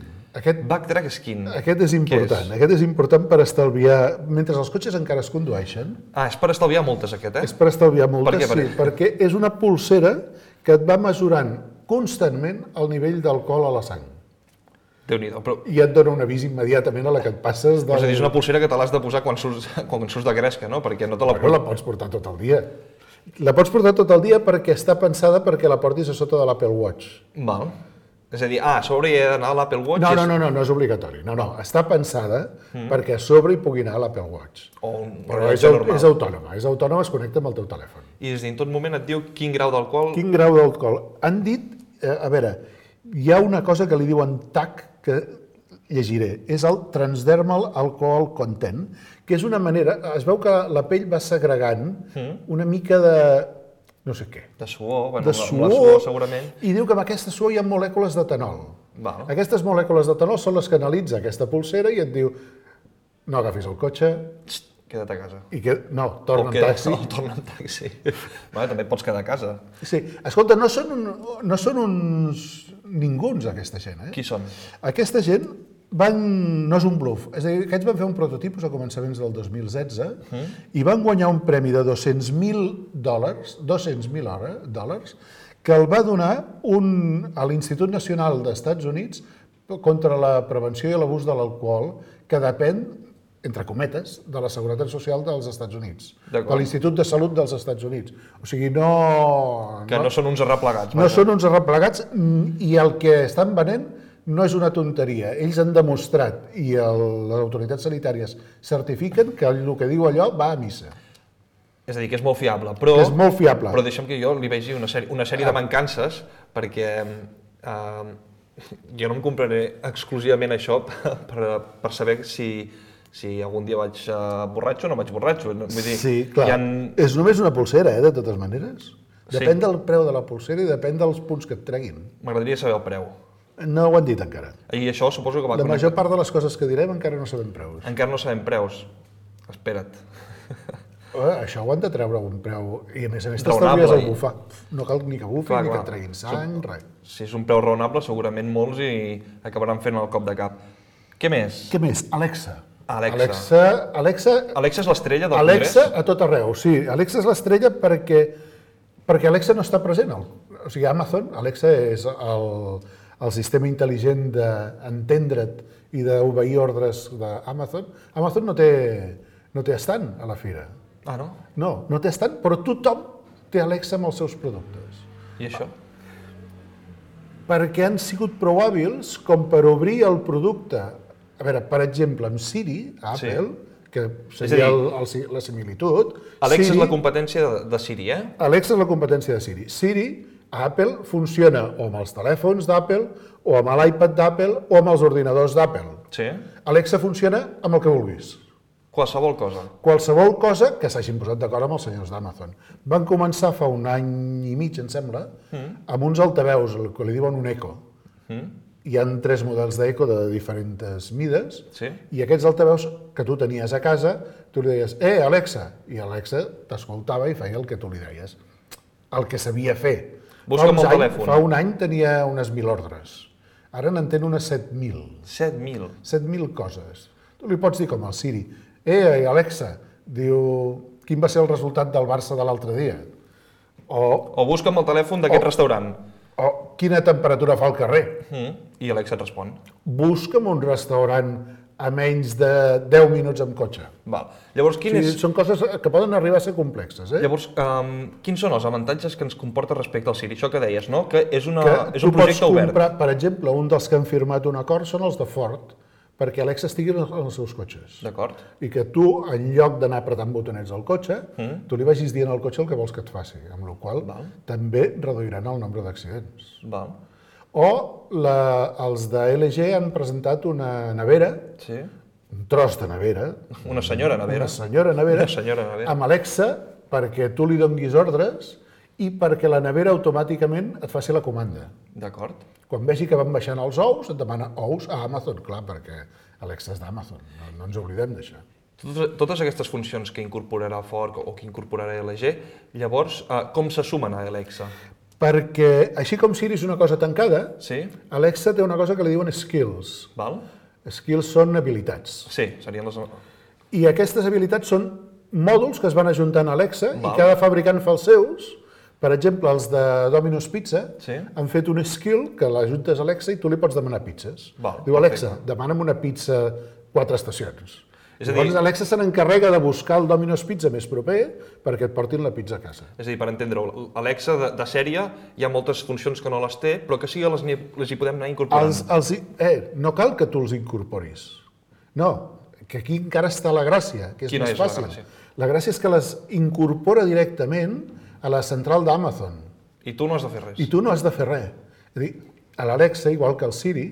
Backtrack Skin. Aquest és important. Què és? Aquest és important per estalviar... Mentre els cotxes encara es condueixen, És per estalviar moltes, aquest, eh? és per estalviar moltes, Per què? sí, perquè és una pulsera que et va mesurant constantment el nivell d'alcohol a la sang. Déu-n'hi-do. Però, I et dona un avís immediatament a la que et passes de... és a dir, és una pulsera que te l'has de posar quan surts de gresca, no? Perquè no te la Bueno, la pots portar tot el dia. La pots portar tot el dia perquè està pensada perquè la portis a sota de l'Apple Watch. Val. És a dir, a sobre hi ha d'anar a l'Apple Watch? No és obligatori. No, està pensada perquè a sobre hi pugui anar l'Apple Watch. Però és autònoma, es connecta amb el teu telèfon. I des en tot moment et diu quin grau d'alcohol... Quin grau d'alcohol. Han dit, a veure, hi ha una cosa que li diuen TAC, que llegiré, és el Transdermal Alcohol Content, que és una manera, es veu que la pell va segregant una mica de... no sé què. De suor, bueno, la suor segurament. I diu que amb aquesta suor hi ha molècules d'etanol. Val. Aquestes molècules d'etanol són les que analitza aquesta pulsera i et diu no agafis el cotxe... Queda't a casa. Torna en taxi. Torna en taxi. També pots quedar a casa. Sí. Escolta, no són uns ninguns, aquesta gent, Qui són? Aquesta gent no és un bluff. És a dir, aquests van fer un prototipus a començaments del 2016 i van guanyar un premi de $200.000 que el va donar a l'Institut Nacional d'Estats Units contra la prevenció i l'abús de l'alcohol, que depèn, entre cometes, de la Seguretat Social dels Estats Units, de l'Institut de Salut dels Estats Units. O sigui, Que no són uns arreplegats. No són uns arreplegats i el que estan venent no és una tonteria. Ells han demostrat, i les autoritats sanitàries certifiquen, que el que diu allò va a missa. És a dir, que és molt fiable. Però deixa'm que jo li vegi una sèrie de mancances, perquè jo no em compraré exclusivament això per saber si algun dia vaig borratxo o no vaig borratxo. Sí, clar. És només una pulsera, de totes maneres. Depèn del preu de la pulsera i depèn dels punts que et treguin. M'agradaria saber el preu. No ho han dit encara. I això suposo que va connectar. La major part de les coses que direm encara no sabem preus. Encara no sabem preus. Espera't. Això ho han de treure a un preu. I a més t'estalvies el bufar. No cal ni que bufin, ni que treguin sang, res. Si és un preu raonable, segurament molts hi acabaran fent el cop de cap. Què més? Alexa. Alexa és l'estrella del Congrés? Alexa a tot arreu, sí. Alexa és l'estrella perquè Alexa no està present. O sigui, Alexa és el sistema intel·ligent d'entendre't i d'obeir ordres d'Amazon. Amazon no té estand a la fira. Ah, no? No té estand, però tothom té Alexa amb els seus productes. I això? Perquè han sigut prou hàbils com per obrir el producte. A veure, per exemple, amb Siri, a Apple, que seria la similitud... Alexa és la competència de Siri, Alexa és la competència de Siri. Siri, a Apple, funciona o amb els telèfons d'Apple, o amb l'iPad d'Apple, o amb els ordinadors d'Apple. Sí. Alexa funciona amb el que vulguis. Qualsevol cosa. Qualsevol cosa que s'hagin posat d'acord amb els senyors d'Amazon. Van començar fa un any i mig, em sembla, amb uns altaveus, el que li diuen un Echo. Hi ha 3 models d'Echo de diferents mides, i aquests altaveus que tu tenies a casa, tu li deies, Alexa, i Alexa t'escoltava i feia el que tu li deies. El que sabia fer. Busca'm el telèfon. Fa un any tenia unes 1.000 ordres. Ara n'entén unes 7.000. 7.000? 7.000 coses. Tu li pots dir com al Siri, Alexa, diu, quin va ser el resultat del Barça de l'altre dia? O busca'm el telèfon d'aquest restaurant. O quina temperatura fa al carrer? I Alexa et respon. Busca'm un restaurant a menys de 10 minuts amb cotxe. Llavors, són coses que poden arribar a ser complexes. Llavors, quins són els avantatges que ens comporta respecte al Siri? Això que deies, no? Que és un projecte obert. Per exemple, un dels que han firmat un acord són els de Ford, perquè Alexa estigui en els seus cotxes. D'acord. I que tu, en lloc d'anar apretant botonets al cotxe, tu li vagis dient al cotxe el que vols que et faci, amb la qual cosa també reduiran el nombre d'accidents. O els de LG han presentat una nevera, un tros de nevera, una senyora nevera, amb Alexa, perquè tu li donis ordres i perquè la nevera automàticament et faci la comanda. D'acord. Quan vegi que van baixant els ous, et demana ous a Amazon, clar, perquè Alexa és d'Amazon, no ens oblidem d'això. Totes aquestes funcions que incorporarà Ford o que incorporarà LG, llavors, com se sumen a Alexa? Perquè, així com Siri és una cosa tancada, Alexa té una cosa que li diuen skills. Skills són habilitats. Sí, serien les... I aquestes habilitats són mòduls que es van ajuntant a Alexa i cada fabricant fa els seus. Per exemple, els de Domino's Pizza han fet un skill que l'ajuntes a Alexa i tu li pots demanar pizzas. Diu, Alexa, demana'm una pizza 4 estacions. Llavors Alexa se n'encarrega de buscar el Domino's Pizza més proper perquè et portin la pizza a casa. És a dir, per entendre-ho, Alexa de sèrie hi ha moltes funcions que no les té, però que sí que les hi podem anar incorporant. No cal que tu els incorporis. No, que aquí encara està la gràcia, que és més fàcil. La gràcia és que les incorpora directament a la central d'Amazon. I tu no has de fer res. I tu no has de fer res. És a dir, l'Alexa, igual que el Siri,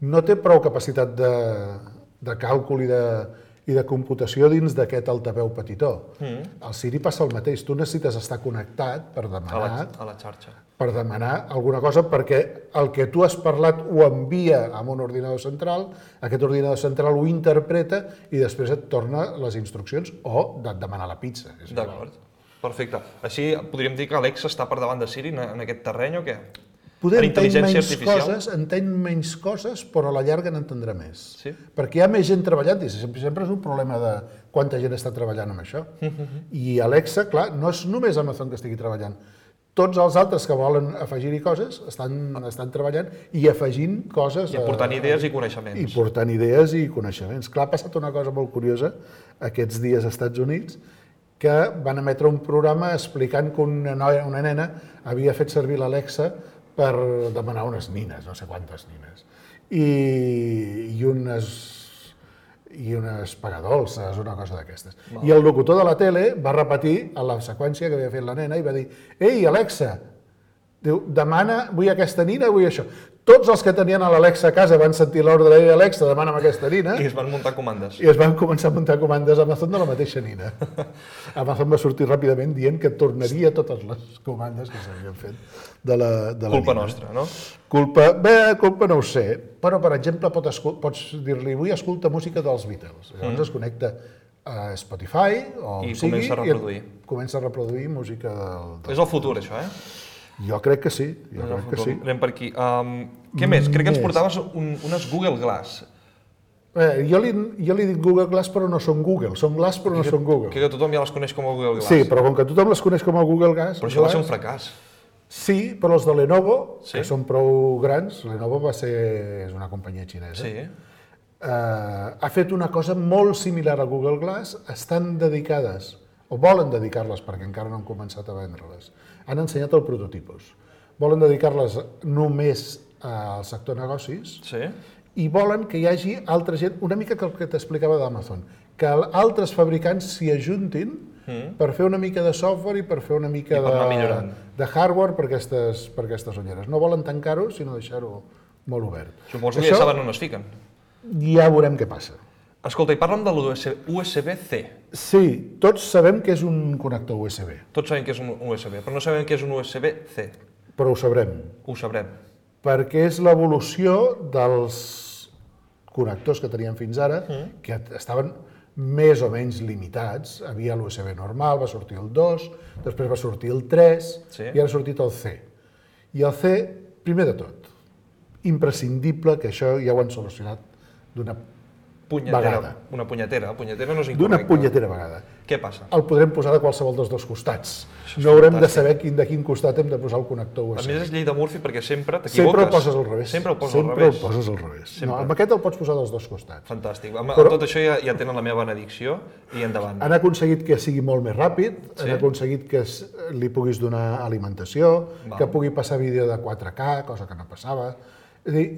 no té prou capacitat de càlcul i de computació dins d'aquest altaveu petitó. El Siri passa el mateix. Tu necessites estar connectat per demanar... A la xarxa. Per demanar alguna cosa, perquè el que tu has parlat ho envia a un ordinador central, aquest ordinador central ho interpreta i després et torna les instruccions o et demana la pizza. D'acord. Perfecte. Així podríem dir que Alexa està per davant de Siri en aquest terreny o què? Poder entén menys coses, però a la llarga n'entendrà més. Sí? Perquè hi ha més gent treballant, i sempre és un problema de quanta gent està treballant amb això. I Alexa, clar, no és només Amazon que estigui treballant. Tots els altres que volen afegir-hi coses estan treballant i afegint coses... I aportant idees i coneixements. I portant idees i coneixements. Clar, ha passat una cosa molt curiosa aquests dies als Estats Units, que van emetre un programa explicant que una nena havia fet servir l'Alexa per demanar unes nines, no sé quantes nines, i unes pagadolces, una cosa d'aquestes. I el locutor de la tele va repetir la seqüència que havia fet la nena i va dir: «Ei, Alexa, vull aquesta nina, vull això». Tots els que tenien a l'Alexa a casa van sentir l'ordre de Alexa, demana'm aquesta nina. I es van muntar comandes. I es van començar a muntar comandes a Amazon de la mateixa nina. Amazon va sortir ràpidament dient que tornaria totes les comandes que s'havien fet de la nina. Culpa nostra, no? Culpa no ho sé, però, per exemple, pots dir-li: «Vull escoltar música dels Beatles». Llavors es connecta a Spotify o i comença a reproduir. Comença a reproduir música del... És el futur, això, Jo crec que sí, Anem per aquí. Què més? Crec que ens portaves unes Google Glass. Jo li dic Google Glass, però no són Google. Són Glass, però no són Google. Que tothom ja les coneix com a Google Glass. Sí, però com que tothom les coneix com a Google Glass... Però això va ser un fracàs. Sí, però els de Lenovo, que són prou grans, Lenovo és una companyia xinesa, ha fet una cosa molt similar a Google Glass, estan dedicades, o volen dedicar-les, perquè encara no han començat a vendre-les, han ensenyat el prototipus. Volen dedicar-les només al sector negocis i volen que hi hagi altra gent, una mica que el que t'explicava d'Amazon, que altres fabricants s'hi ajuntin per fer una mica de software i per fer una mica de hardware per aquestes ulleres. No volen tancar-ho, sinó deixar-ho molt obert. Suposo que ja saben on es fiquen. Ja veurem què passa. Escolta, i parla'm de l'USB-C. Sí, tots sabem que és un connector USB. Tots sabem que és un USB, però no sabem què és un USB-C. Però ho sabrem. Ho sabrem. Perquè és l'evolució dels connectors que teníem fins ara, que estaven més o menys limitats. Havia l'USB normal, va sortir el 2, després va sortir el 3 i ara ha sortit el C. I el C, primer de tot, imprescindible, que això ja ho han solucionat d'una vegada. Una punyetera. Punyetera no és incorrecte. D'una punyetera vegada. Què passa? El podrem posar de qualsevol dels dos costats. No haurem de saber de quin costat hem de posar el connector USB. A més és llei de Murphy perquè sempre t'equivoques. Sempre el poses al revés. Sempre el poses al revés. No, amb aquest el pots posar dels dos costats. Fantàstic. Amb tot això ja tenen la meva benedicció i endavant. Han aconseguit que sigui molt més ràpid, han aconseguit que li puguis donar alimentació, que pugui passar vídeo de 4K, cosa que no passava. És a dir,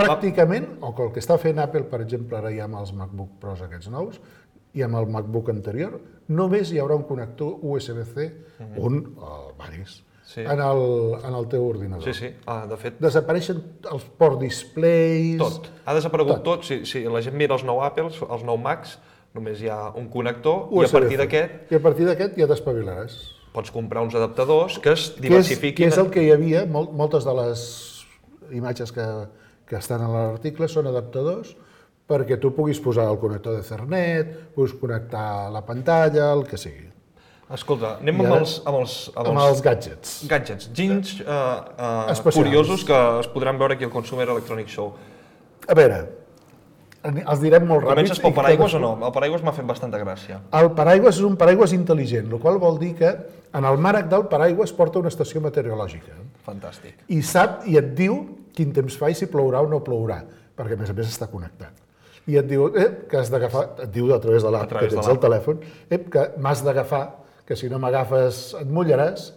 pràcticament, o que el que està fent Apple, per exemple, ara ja amb els MacBook Pros aquests nous, i amb el MacBook anterior, només hi haurà un connector USB-C, varis, en el teu ordinador. Sí, de fet... Desapareixen els port displays... Tot. Ha desaparegut tot. Si la gent mira els nou Apples, els nou Macs, només hi ha un connector i a partir d'aquest... I a partir d'aquest ja t'espavilaràs. Pots comprar uns adaptadors que es diversifiquin... Que és el que hi havia, moltes de les imatges que estan a l'article són adaptadors perquè tu puguis posar el connector d'Ethernet, puguis connectar la pantalla, el que sigui. Escolta, anem amb els gadgets. Gadgets, ginys curiosos que es podran veure aquí al Consumer Electronic Show. A veure, els direm molt ràpids. Comences pel paraigües o no? El paraigües m'ha fet bastanta gràcia. El paraigües és un paraigües intel·ligent, el qual vol dir que en el mànec del paraigües porta una estació meteorològica. Fantàstic. I sap i et diu quin temps fa i si plourà o no plourà, perquè a més està connectat. i et diu que has d'agafar, et diu a través de l'app que tens al telèfon, que m'has d'agafar, que si no m'agafes et mullaràs.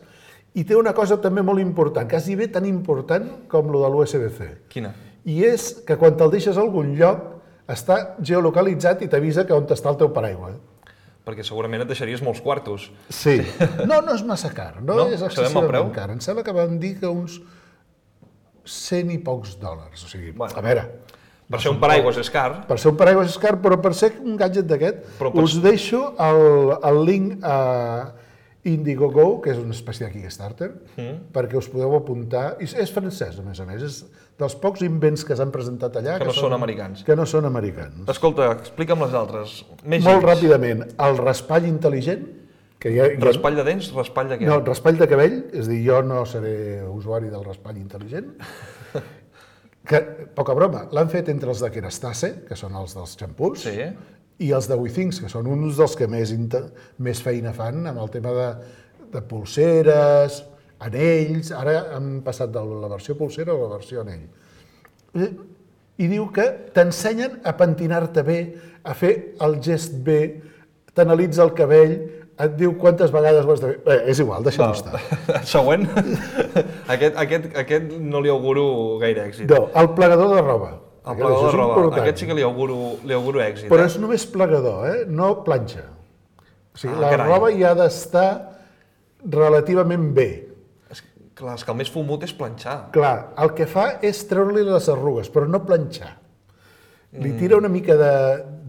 I té una cosa també molt important, quasi bé tan important com lo de l'USB-C. Quina? I és que quan te'l deixes a algun lloc està geolocalitzat i t'avisa que on està el teu paraigua. Perquè segurament et deixaries molts quartos. Sí. No és massa car, no és excessivament car. Em sembla que van dir que uns 100 i pocs dòlars. O sigui, a veure... Per ser un paraigües és car. Per ser un paraigües és car, però per ser un gadget d'aquest, us deixo el link a Indiegogo, que és una espècie de Kickstarter, perquè us podeu apuntar. I és francès, a més, és dels pocs invents que s'han presentat allà que no són americans. Que no són americans. Escolta, explica'm les altres. Molt ràpidament, el raspall intel·ligent. Raspall de dents, raspall de què? No, raspall de cabell, és a dir, jo no seré usuari del raspall intel·ligent. Que, poca broma, l'han fet entre els de Kerastase, que són els dels xampús, i els de WeThings, que són uns dels que més feina fan amb el tema de pulseres, anells. Ara han passat de la versió pulsera a la versió anell. I diu que t'ensenyen a pentinar-te bé, a fer el gest bé, t'analitza el cabell, et diu quantes vegades ho has de fer. Bé, és igual, deixa-ho estar. Següent. Aquest no li auguro gaire èxit. No, el plegador de roba. El plegador de roba, aquest sí que li auguro èxit. Però és només plegador, no planxa. O sigui, la roba hi ha d'estar relativament bé. Clar, és que el més fumut és planxar. Clar, el que fa és treure-li les arrugues, però no planxar. Li tira una mica de...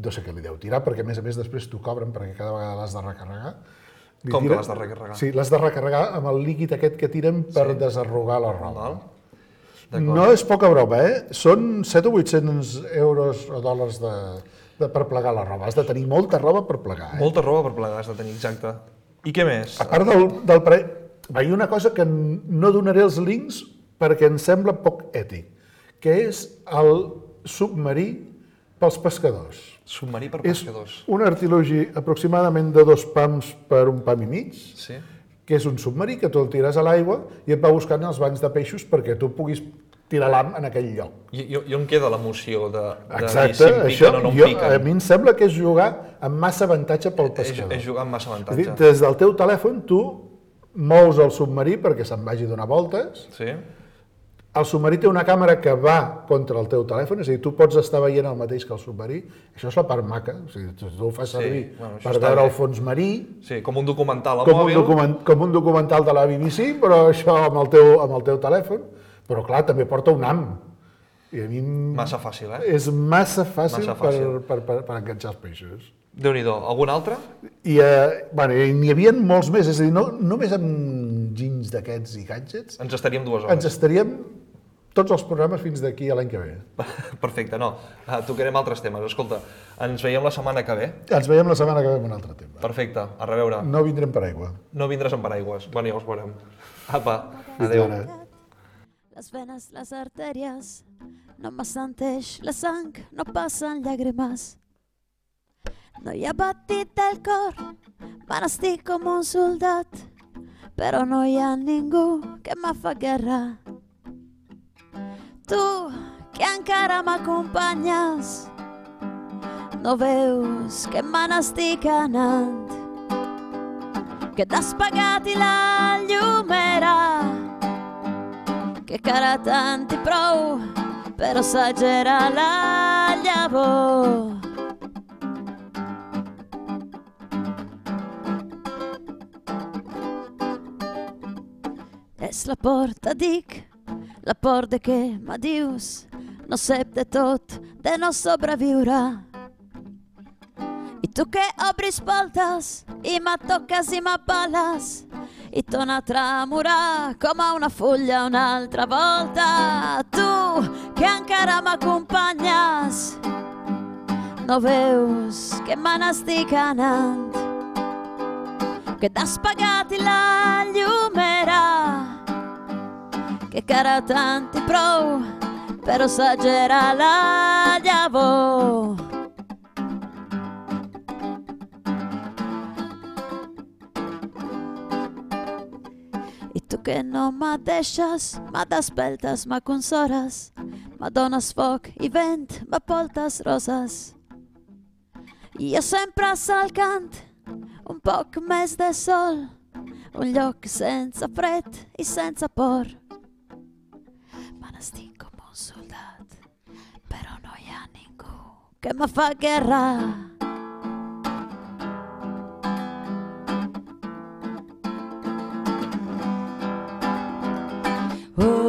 No sé què li deu tirar, perquè a més després t'ho cobren perquè cada vegada l'has de recarregar. Com que l'has de recarregar? Sí, l'has de recarregar amb el líquid aquest que tiren per desarrugar la roba. No és poca broma, Són 700 o 800 euros o dòlars per plegar la roba. Has de tenir molta roba per plegar. Molta roba per plegar has de tenir, exacte. I què més? A part del preu... Hi ha una cosa que no donaré els links perquè em sembla poc ètic, que és el submarí pels pescadors. Submarí per pescadors. És un artilugi aproximadament de 2 pams per 1 pam i mig, que és un submarí que tu el tires a l'aigua i et va buscant els bancs de peixos perquè tu puguis tirar l'am en aquell lloc. I on queda l'emoció de dir si em piquen o no em piquen? A mi em sembla que és jugar amb massa avantatge pel pescador. És jugar amb massa avantatge. Des del teu telèfon tu mous el submarí perquè se'n vagi a donar voltes. Sí. El submarí té una càmera que va contra el teu telèfon, és a dir, tu pots estar veient el mateix que el submarí. Això és la part maca, o sigui, tu ho fas servir per veure el fons marí. Sí, com un documental a mòbil. Com un documental de la BBC, però això amb el teu telèfon. Però clar, també porta un ham. I a mi massa fàcil, És massa fàcil per enganxar els peixos. Déu-n'hi-do. Algun altre? I n'hi havia molts més, és a dir, no només amb ginys d'aquests i gadgets. Ens estaríem 2 hores. Ens estaríem tots els programes fins d'aquí a l'any que ve. Perfecte, no. Tocarem altres temes. Escolta, ens veiem la setmana que ve. Ens veiem la setmana que ve amb un altre tema. Perfecte, a reveure. No vindrem per aigua. No vindràs amb paraigües. Bueno, ja us veurem. Apa, adéu. Las venas, las arterias, no m'assenteix la sang, no passen llàgrimes. No hi ha batit del cor, me n'estic com un soldat, però no hi ha ningú que me fa guerra. Tu, que encara m'acompanyes, no veus que me n'estic anant, que t'has pagat i la llum era, que cara tant i prou, però s'agera la llavor. És la porta, dic, la por de què m'adius, no sé de tot, de no sobreviure. I tu que obris voltes i me toques i m'apales i torna a tremorar com a una fulla una altra volta. Tu que encara m'acompanyes, no veus que me n'estic anant, que t'has pagat i la llum era, que cara tant i prou, però s'agera la llavor. I tu que no me deixes, me despertes, me consoles, m'adones foc i vent, me portes roses. I jo sempre salcant un poc més de sol, un lloc sense fred i sense por. Me n'estic com un soldat, però no hi ha ningú que me fa guerra. Oh,